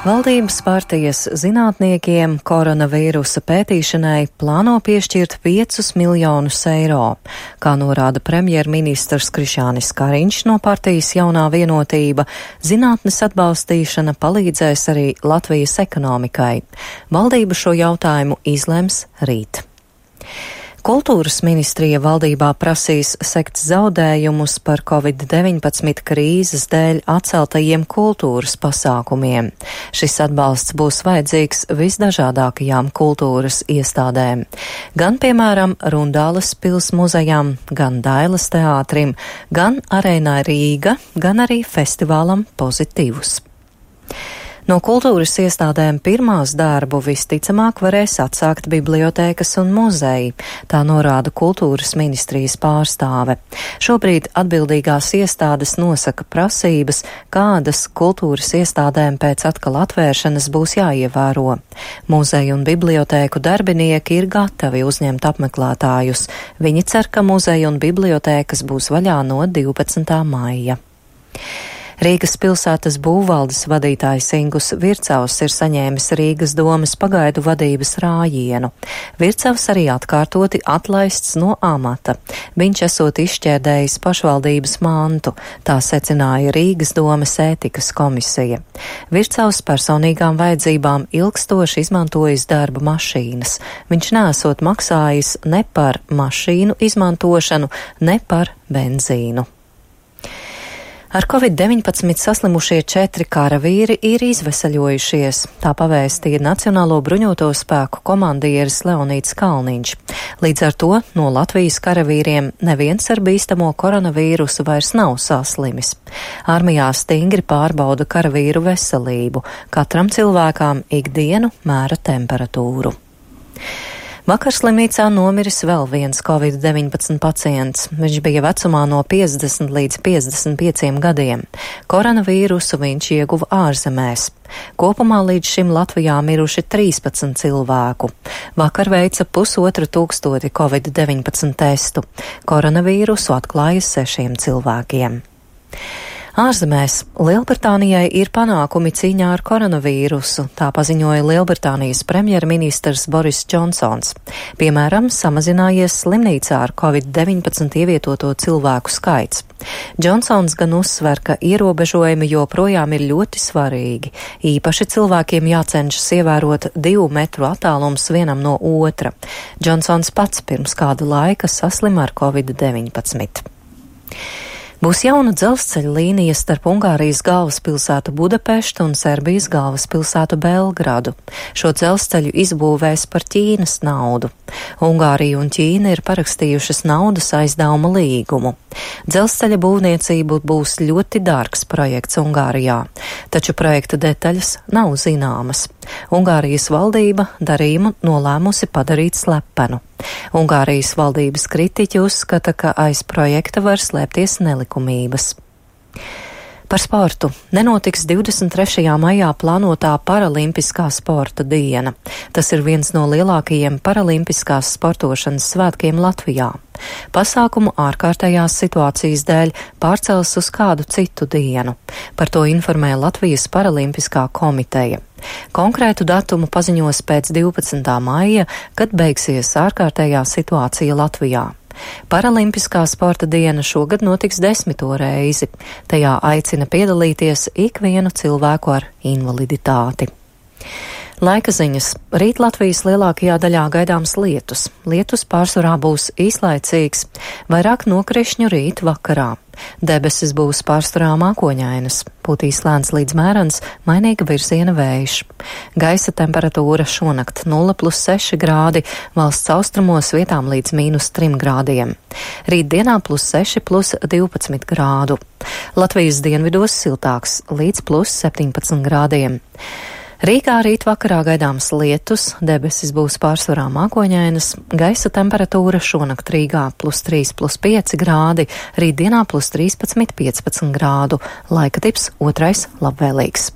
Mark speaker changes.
Speaker 1: Valdības partijas zinātniekiem koronavīrusa pētīšanai plāno piešķirt 5 miljonus eiro. Kā norāda premjerministrs Krišjānis Kariņš no partijas Jaunā vienotība, zinātnes atbalstīšana palīdzēs arī Latvijas ekonomikai. Valdība šo jautājumu izlems rīt. Kultūras ministrija valdībā prasīs sekt zaudējumus par Covid-19 krīzes dēļ atceltajiem kultūras pasākumiem. Šis atbalsts būs vajadzīgs visdažādākajām kultūras iestādēm. Gan, piemēram, Rundāles pils muzejam, gan Dailes teātrim, gan Arēnai Rīga, gan arī festivālam Pozitīvs. No kultūras iestādēm pirmās darbu visticamāk varēs atsākt bibliotēkas un muzeji, tā norāda kultūras ministrijas pārstāve. Šobrīd atbildīgās iestādes nosaka prasības, kādas kultūras iestādēm pēc atkal atvēršanas būs jāievēro. Muzeju un bibliotēku darbinieki ir gatavi uzņemt apmeklētājus. Viņi cer, ka muzeju un bibliotēkas būs vaļā no 12. maija. Rīgas pilsētas būvvaldes vadītājs Ingus Vircavs ir saņēmis Rīgas domes pagaidu vadības rājienu. Vircavs arī atkārtoti atlaists no amata. Viņš esot izšķērdējis pašvaldības mantu, tā secināja Rīgas domes ētikas komisija. Vircavs personīgām vajadzībām ilgstoši izmantojis darba mašīnas. Viņš nesot maksājis ne par mašīnu izmantošanu, ne par benzīnu. Ar Covid-19 saslimušie 4 karavīri ir izvesaļojušies, tā pavēstīja Nacionālo bruņoto spēku komandieris Leonīds Kalniņš. Līdz ar to no Latvijas karavīriem neviens ar bīstamo koronavīrusu vairs nav saslimis. Armijā stingri pārbauda karavīru veselību, katram cilvēkam ikdienu mēra temperatūru. Vakar slimnīcā nomiris vēl viens Covid-19 pacients. Viņš bija vecumā no 50 līdz 55 gadiem. Koronavīrusu viņš ieguva ārzemēs. Kopumā līdz šim Latvijā miruši 13 cilvēku. Vakar veica 1500 Covid-19 testu. Koronavīrusu atklāja 6 cilvēkiem. Ārzemēs Lielbritānijai ir panākumi cīņā ar koronavīrusu, tā paziņoja Lielbritānijas premjerministrs Boris Džonsons. Piemēram, samazinājies slimnīcā ar Covid-19 ievietoto cilvēku skaits. Džonsons gan uzsver, ka ierobežojumi joprojām ir ļoti svarīgi. Īpaši cilvēkiem jācenšas ievērot 2 metru attālums vienam no otra. Džonsons pats pirms kāda laika saslima ar Covid-19. Būs jauna dzelzceļa līnija starp Ungārijas galvaspilsētu Budapeštu un Serbijas galvaspilsētu Belgradu. Šo dzelzceļu izbūvēs par Ķīnas naudu. Ungārija un Ķīna ir parakstījušas naudas aizdevuma līgumu. Dzelzceļa būvniecība būs ļoti dārgs projekts Ungārijā, taču projekta detaļas nav zināmas. Ungārijas valdība darījumu nolēmusi padarīt slepenu. Ungārijas valdības kritiķi uzskata, ka aiz projekta var slēpties nelikumības. Par sportu. Nenotiks 23. maijā plānotā paralimpiskā sporta diena. Tas ir viens no lielākajiem paralimpiskās sportošanas svētkiem Latvijā. Pasākumu ārkārtējās situācijas dēļ pārcels uz kādu citu dienu. Par to informē Latvijas paralimpiskā komiteja. Konkrētu datumu paziņos pēc 12. maija, kad beigsies ārkārtējā situācija Latvijā. Paralimpiskā sporta diena šogad notiks 10. reizi. Tajā aicina piedalīties ikvienu cilvēku ar invaliditāti. Laika ziņas. Rīt Latvijas lielākajā daļā gaidāms lietus. Lietus pārsvarā būs īslaicīgs, vairāk nokrišņu rīt vakarā. Debesis būs pārsvarā mākoņainas, pūtīs lēns līdz mērens, mainīga virziena vējš. Gaisa temperatūra šonakt 0+6 grādi, valsts austrumos vietām līdz -3 grādiem. Rīt dienā +6+12 grādu. Latvijas dienvidos siltāks līdz +17 grādiem. Rīgā rīt vakarā gaidāms lietus, debesis būs pārsvarā mākoņainas, gaisa temperatūra šonakt Rīgā +3+5 grādi, rīt dienā +13–15 grādu, laika tips otrais labvēlīgs.